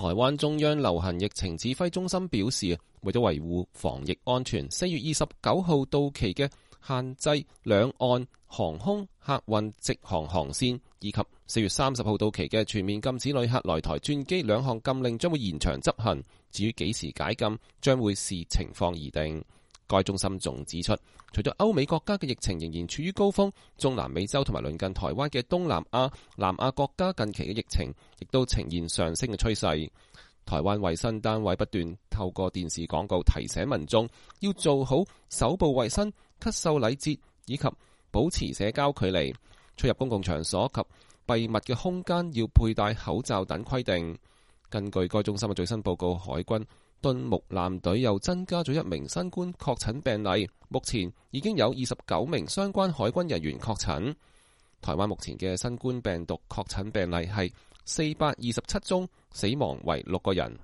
台灣中央流行疫情指揮中心表示，為咗維護防疫安全，4月29號到期嘅限制兩岸航空客運直航航線，以及4月30號到期嘅全面禁止旅客來台轉機兩項禁令將會延長執行。至於幾時解禁，將會視情況而定。該中心仲指出，除咗歐美國家嘅疫情仍然處於高峰，中南美洲同埋鄰近台灣嘅東南亞、南亞國家近期嘅疫情亦都呈現上升嘅趨勢。台灣衛生單位不斷透過電視廣告提醒民眾要做好手部衛生、咳嗽禮節以及保持社交距離，出入公共場所及閉密嘅空間要佩戴口罩等規定。根據該中心嘅最新報告，海軍敦睦艦隊又增加咗1名新冠確診病例，目前已經有29名相關海軍人員確診。台灣目前嘅新冠病毒確診病例係427宗，死亡為6個人。